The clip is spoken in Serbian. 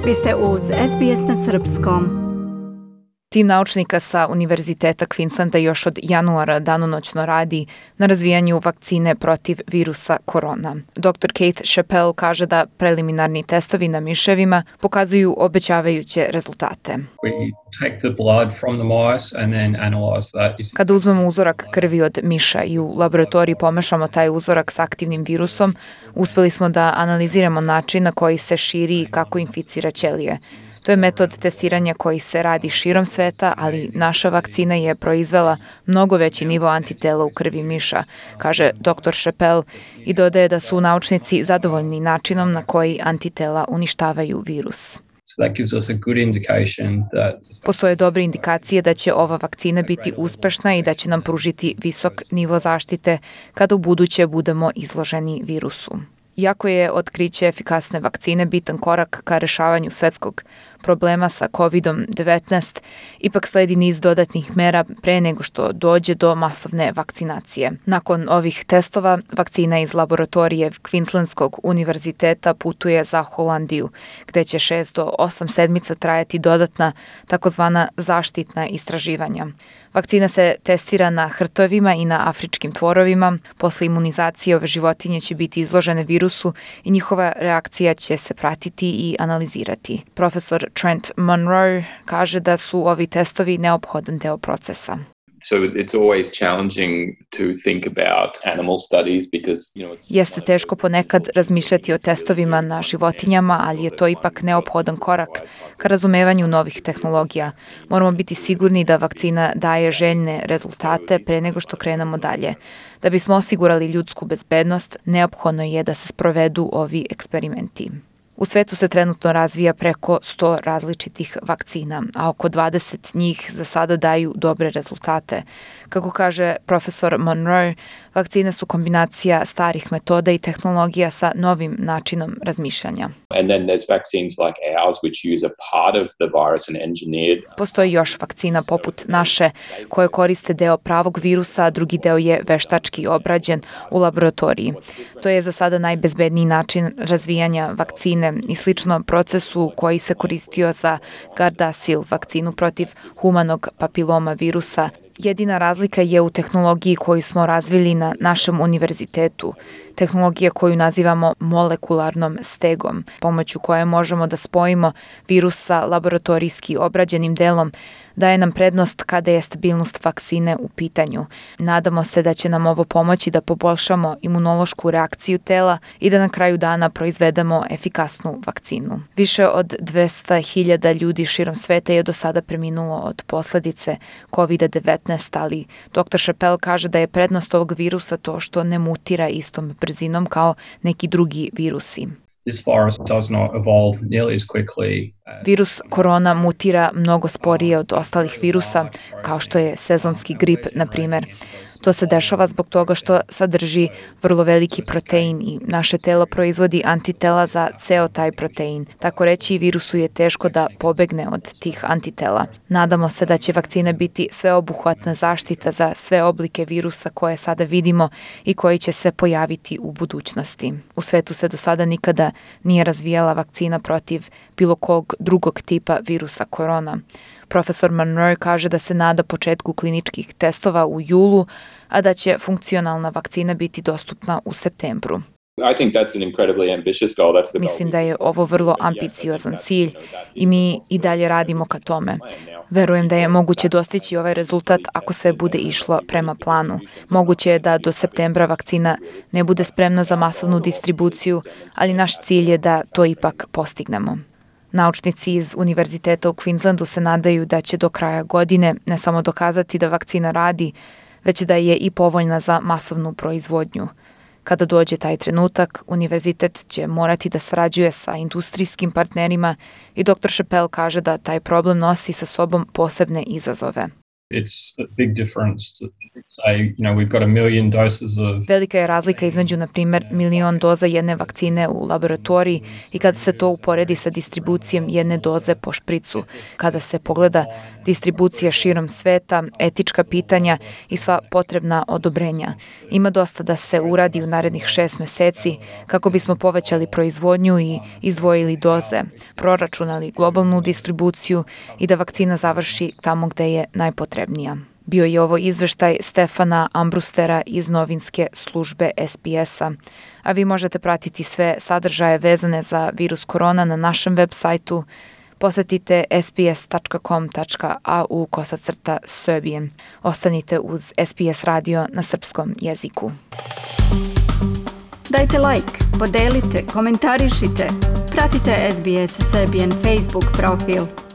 Vi ste uz SBS na srpskom. Tim naučnika sa Univerziteta Queenslanda još od januara danonoćno radi na razvijanju vakcine protiv virusa korona. Dr. Kate Chappell kaže da preliminarni testovi na miševima pokazuju obećavajuće rezultate. Kada uzmemo uzorak krvi od miša i u laboratoriji pomešamo taj uzorak s aktivnim virusom, uspeli smo da analiziramo način na koji se širi i kako inficira ćelije. To je metod testiranja koji se radi širom sveta, ali naša vakcina je proizvela mnogo veći nivo antitela u krvi miša, kaže dr. Chappell i dodaje da su naučnici zadovoljni načinom na koji antitela uništavaju virus. Postoje dobre indikacije da će ova vakcina biti uspešna i da će nam pružiti visok nivo zaštite kada u buduće budemo izloženi virusu. Iako je otkriće efikasne vakcine bitan korak ka rešavanju svetskog problema sa COVID-19, ipak sledi niz dodatnih mera pre nego što dođe do masovne vakcinacije. Nakon ovih testova, vakcina iz laboratorije Queenslandskog univerziteta putuje za Holandiju, gde će 6 do 8 sedmica trajati dodatna takozvana zaštitna istraživanja. Vakcina se testira na hrtovima i na afričkim tvorovima. Posle imunizacije ove životinje će biti izložene virusu i njihova reakcija će se pratiti i analizirati. Profesor Trent Monroe kaže da su ovi testovi neophodan deo procesa. Jeste teško ponekad razmišljati o testovima na životinjama, ali je to ipak neophodan korak ka razumevanju novih tehnologija. Moramo biti sigurni da vakcina daje željne rezultate pre nego što krenemo dalje. Da bismo osigurali ljudsku bezbednost, neophodno je da se sprovedu ovi eksperimenti. U svetu se trenutno razvija preko 100 različitih vakcina, a oko 20 njih za sada daju dobre rezultate. Kako kaže profesor Monroe, vakcine su kombinacija starih metoda i tehnologija sa novim načinom razmišljanja. Postoji još vakcina poput naše koje koriste deo pravog virusa, a drugi deo je veštački obrađen u laboratoriji. To je za sada najbezbedniji način razvijanja vakcine i slično procesu koji se koristio za Gardasil, vakcinu protiv humanog papiloma virusa. Jedina razlika je u tehnologiji koju smo razvili na našem univerzitetu, tehnologija koju nazivamo molekularnom stegom, pomoću koje možemo da spojimo virus sa laboratorijski obrađenim delom, daje nam prednost kada je stabilnost vakcine u pitanju. Nadamo se da će nam ovo pomoći da poboljšamo imunološku reakciju tela i da na kraju dana proizvedemo efikasnu vakcinu. Više od 200.000 ljudi širom sveta je do sada preminulo od posledice COVID-19, ali dr. Chappell kaže da je prednost ovog virusa to što ne mutira istom brzinom kao neki drugi virusi. Virus korona mutira mnogo sporije od ostalih virusa, kao što je sezonski grip, na primjer. To se dešava zbog toga što sadrži vrlo veliki protein i naše telo proizvodi antitela za ceo taj protein. Tako reći, virusu je teško da pobegne od tih antitela. Nadamo se da će vakcina biti sveobuhvatna zaštita za sve oblike virusa koje sada vidimo i koji će se pojaviti u budućnosti. U svetu se do sada nikada nije razvijala vakcina protiv bilo kog drugog tipa virusa korona. Profesor Monroe kaže da se nada početku kliničkih testova u julu, a da će funkcionalna vakcina biti dostupna u septembru. Mislim da je ovo vrlo ambiciozan cilj i mi i dalje radimo ka tome. Verujem da je moguće dostići ovaj rezultat ako se bude išlo prema planu. Moguće je da do septembra vakcina ne bude spremna za masovnu distribuciju, ali naš cilj je da to ipak postignemo. Naučnici iz Univerziteta u Queenslandu se nadaju da će do kraja godine ne samo dokazati da vakcina radi, već da je i povoljna za masovnu proizvodnju. Kada dođe taj trenutak, univerzitet će morati da sarađuje sa industrijskim partnerima i dr. Chappell kaže da taj problem nosi sa sobom posebne izazove. It's a big difference to say, we've got 1 million doses of... Velika je razlika između, na primjer, 1.000.000 doza jedne vakcine u laboratoriji i kada se to uporedi sa distribucijom jedne doze po špricu. Kada se pogleda distribucija širom sveta, etička pitanja i sva potrebna odobrenja. Ima dosta da se uradi u narednih 6 meseci kako bismo povećali proizvodnju i izdvojili doze, proračunali globalnu distribuciju i da vakcina završi tamo gde je najpotrebnija. Bio je ovo izveštaj Stefana Ambrustera iz novinske službe SBS-a. A vi možete pratiti sve sadržaje vezane za virus korona na našem web sajtu. Posetite sbs.com.au/Serbian. Ostanite uz SBS radio na srpskom jeziku. Dajte like, podelite, komentarišite. Pratite SBS Serbian Facebook profil.